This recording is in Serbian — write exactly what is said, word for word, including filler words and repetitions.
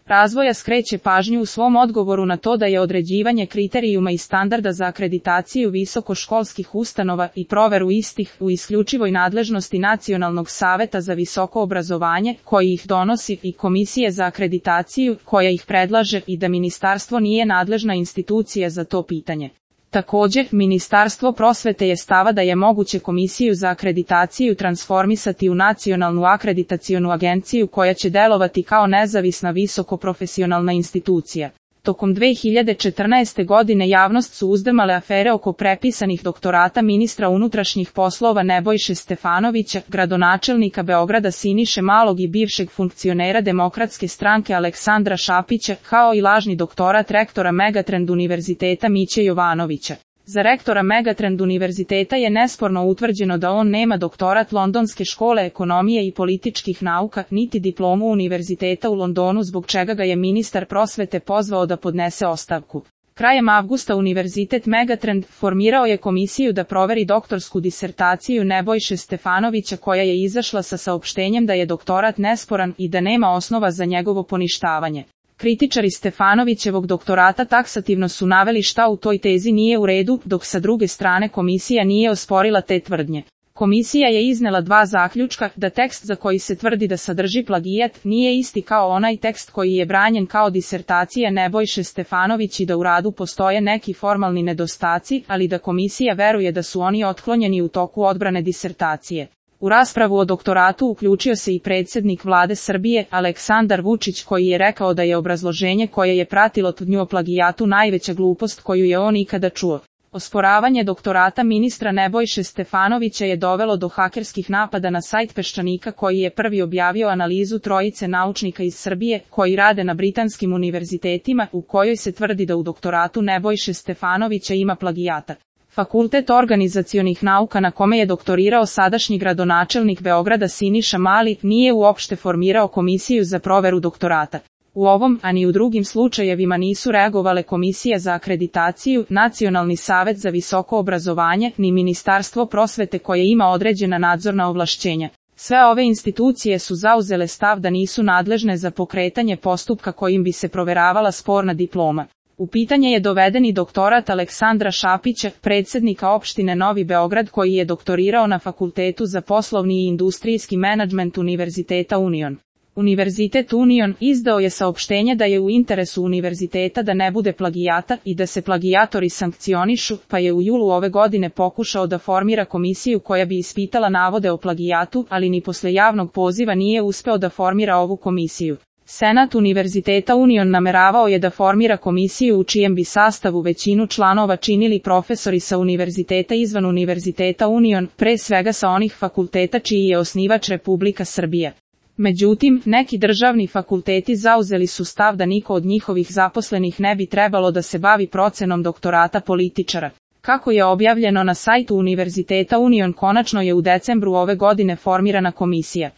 razvoja skreće pažnju u svom odgovoru na to da je određivanje kriterijuma i standarda za akreditaciju visokoškolskih ustanova i proveru istih u isključivoj nadležnosti Nacionalnog saveta za visoko obrazovanje, koji ih donosi, i Komisije za akreditaciju, koja ih predlaže, i da ministarstvo nije nadležna institucija za to pitanje. Također, Ministarstvo prosvete je stava da je moguće Komisiju za akreditaciju transformisati u Nacionalnu akreditacionu agenciju koja će delovati kao nezavisna visokoprofesionalna institucija. Tokom dve hiljade četrnaeste. godine javnost su uzdrmale afere oko prepisanih doktorata ministra unutrašnjih poslova Nebojše Stefanovića, gradonačelnika Beograda Siniše Malog i bivšeg funkcionera Demokratske stranke Aleksandra Šapića, kao i lažni doktorat rektora Megatrend univerziteta Miće Jovanovića. Za rektora Megatrend univerziteta je nesporno utvrđeno da on nema doktorat Londonske škole ekonomije i političkih nauka, niti diplomu univerziteta u Londonu, zbog čega ga je ministar prosvete pozvao da podnese ostavku. Krajem avgusta univerzitet Megatrend formirao je komisiju da proveri doktorsku disertaciju Nebojše Stefanovića, koja je izašla sa saopštenjem da je doktorat nesporan i da nema osnova za njegovo poništavanje. Kritičari Stefanovićevog doktorata taksativno su naveli šta u toj tezi nije u redu, dok sa druge strane komisija nije osporila te tvrdnje. Komisija je iznela dva zaključka: da tekst za koji se tvrdi da sadrži plagijat nije isti kao onaj tekst koji je branjen kao disertacija Nebojše Stefanović i da u radu postoje neki formalni nedostaci, ali da komisija veruje da su oni otklonjeni u toku odbrane disertacije. U raspravu o doktoratu uključio se i predsjednik vlade Srbije, Aleksandar Vučić, koji je rekao da je obrazloženje koje je pratilo tvrdnju o plagijatu najveća glupost koju je on ikada čuo. Osporavanje doktorata ministra Nebojše Stefanovića je dovelo do hakerskih napada na sajt Peščanika, koji je prvi objavio analizu trojice naučnika iz Srbije koji rade na britanskim univerzitetima, u kojoj se tvrdi da u doktoratu Nebojše Stefanovića ima plagijata. Fakultet organizacionih nauka, na kome je doktorirao sadašnji gradonačelnik Beograda Siniša Mali, nije uopšte formirao komisiju za proveru doktorata. U ovom, a ni u drugim slučajevima nisu reagovale Komisija za akreditaciju, Nacionalni savet za visoko obrazovanje, ni Ministarstvo prosvete koje ima određena nadzorna ovlašćenja. Sve ove institucije su zauzele stav da nisu nadležne za pokretanje postupka kojim bi se proveravala sporna diploma. U pitanje je doveden i doktorat Aleksandra Šapića, predsjednika opštine Novi Beograd, koji je doktorirao na Fakultetu za poslovni i industrijski menadžment Univerziteta Union. Univerzitet Union izdao je saopštenje da je u interesu univerziteta da ne bude plagijata i da se plagijatori sankcionišu, pa je u julu ove godine pokušao da formira komisiju koja bi ispitala navode o plagijatu, ali ni posle javnog poziva nije uspeo da formira ovu komisiju. Senat Univerziteta Union nameravao je da formira komisiju u čijem bi sastavu većinu članova činili profesori sa univerziteta izvan Univerziteta Union, pre svega sa onih fakulteta čiji je osnivač Republika Srbija. Međutim, neki državni fakulteti zauzeli su stav da niko od njihovih zaposlenih ne bi trebalo da se bavi procenom doktorata političara. Kako je objavljeno na sajtu Univerziteta Union, konačno je u decembru ove godine formirana komisija.